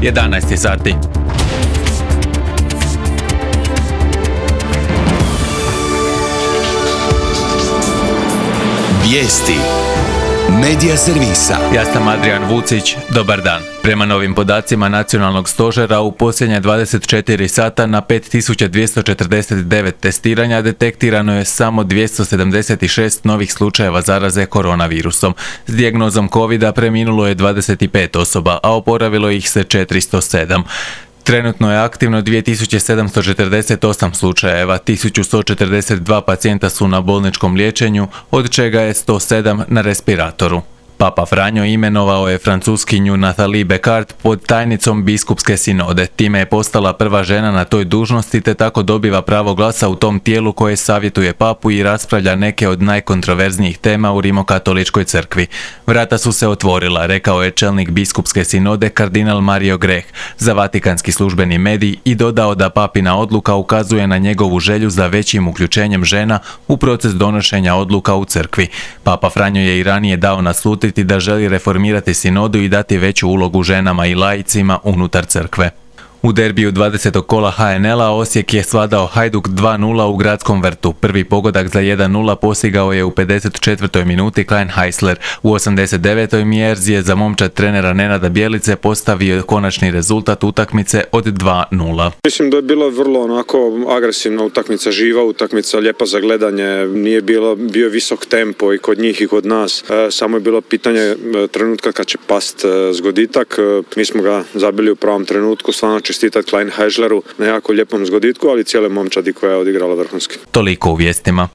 11 sati. Vijesti Medija servisa. Ja sam Adrian Vucić, dobar dan. Prema novim podacima nacionalnog stožera u posljednje 24 sata na 5249 testiranja detektirano je samo 276 novih slučajeva zaraze koronavirusom. S dijagnozom covida preminulo je 25 osoba, a oporavilo ih se 407. Trenutno je aktivno 2748 slučajeva, 1142 pacijenta su na bolničkom liječenju, od čega je 107 na respiratoru. Papa Franjo imenovao je Francuskinju Nathalie Becart pod tajnicom biskupske sinode. Time je postala prva žena na toj dužnosti te tako dobiva pravo glasa u tom tijelu koje savjetuje papu i raspravlja neke od najkontroverznijih tema u Rimokatoličkoj crkvi. Vrata su se otvorila, rekao je čelnik biskupske sinode kardinal Mario Grech za vatikanski službeni medij i dodao da papina odluka ukazuje na njegovu želju za većim uključenjem žena u proces donošenja odluka u crkvi. Papa Franjo je i ranije dao naslutiti da želi reformirati sinodu i dati veću ulogu ženama i laicima unutar crkve. U derbiju 20. kola HNL-a Osijek je svladao Hajduk 2:0 u Gradskom vrtu. Prvi pogodak za 1:0 postigao je u 54. minuti Klein Heisler. U 89. Mjerz je za momčad trenera Nenada Bjelice postavio konačni rezultat utakmice od 2:0. Mislim da je bila vrlo onako agresivna utakmica, živa utakmica, lijepa za gledanje. Nije bio visok tempo i kod njih i kod nas. Samo je bilo pitanje trenutka kad će past zgoditak. Mi smo ga zabili u pravom trenutku, stvarno čestitati Klein Heisleru na jako lijepom zgoditku, ali cijele momčadi koja je odigrala vrhunski. Toliko u vijestima.